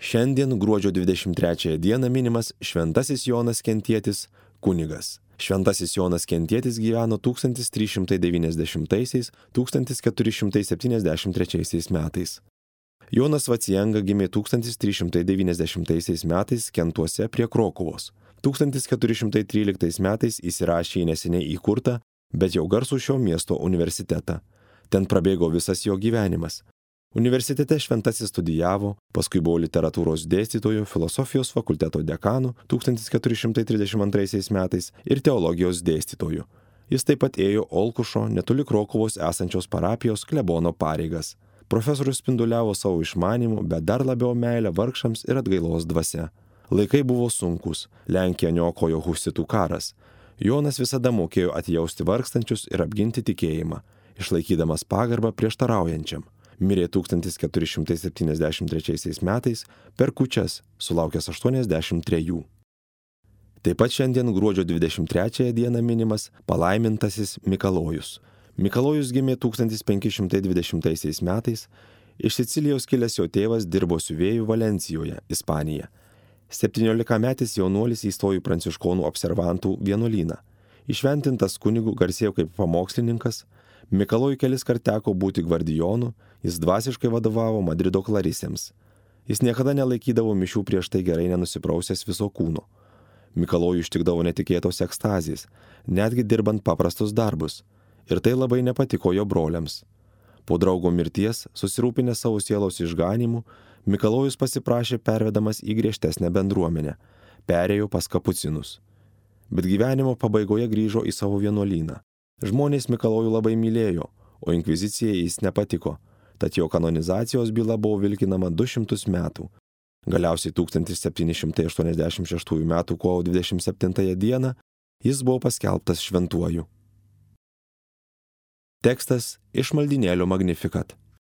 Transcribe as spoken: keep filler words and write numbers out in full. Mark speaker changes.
Speaker 1: Šiandien gruodžio dvidešimt trečiąją dieną minimas Šventasis Jonas Kentietis kunigas. Šventasis Jonas Kentietis gyveno tūkstantis trys šimtai devyniasdešimtaisiais - tūkstantis keturi šimtai septyniasdešimt trečiaisiais metais. Jonas Vacienga gimė tūkstantis trys šimtai devyniasdešimtaisiais metais Kentuose prie Krokuvos. tūkstantis keturi šimtai tryliktais metais įsirašė į neseniai įkurtą, bet jau garsų šio miesto universitetą. Ten prabėgo visas jo gyvenimas. Universitete šventasis studijavo, paskui buvo literatūros dėstytoju, filosofijos fakulteto dekanu tūkstantis keturi šimtai trisdešimt antraisiais metais ir teologijos dėstytoju. Jis taip pat ėjo Olkušo, netoli Krokuvos esančios parapijos klebono pareigas. Profesorius spinduliavo savo išmanimu, bet dar labiau meilę vargšams ir atgailos dvasia. Laikai buvo sunkus, Lenkiją niokojo husitų karas. Jonas visada mokėjo atjausti vargstančius ir apginti tikėjimą, išlaikydamas pagarbą prieštaraujančiam. Mirė tūkstantis keturi šimtai septyniasdešimt trečiaisiais metais per kūčias, sulaukęs aštuoniasdešimt trejų. Taip pat šiandien gruodžio dvidešimt trečiąją dieną minimas palaimintasis Mikalojus. Mikalojus gimė tūkstantis penki šimtai dvidešimtaisiais metais, iš Sicilijos kilęs jo tėvas dirbo siuvėjų Valencijoje, Ispanija. septyniolikametis jaunuolis įstojo į pranciškonų observantų vienuolyną. Įšventintas kunigu garsėjo kaip pamokslininkas, Mikalojui kelis kart teko būti gvardijonu, jis dvasiškai vadovavo Madrido klarisėms. Jis niekada nelaikydavo mišių prieš tai gerai nenusiprausęs viso kūno. Mikalojui ištikdavo netikėtos ekstazijas, netgi dirbant paprastus darbus. Ir tai labai nepatiko jo broliams. Po draugo mirties, susirūpinęs savo sielos išganimu, Mikalojus pasiprašė pervedamas į griežtesnę bendruomenę, perėjo pas kapucinus. Bet gyvenimo pabaigoje grįžo į savo vienuolyną. Žmonės Mikalojų labai mylėjo, o inkvizicijai jis nepatiko, tad jo kanonizacijos byla buvo vilkinama du šimtus metų. Galiausiai tūkstantis septyni šimtai aštuoniasdešimt šeštųjų metų kovo dvidešimt septintąją dieną jis buvo paskelbtas šventuoju. Tekstas iš maldynėlio Magnificat.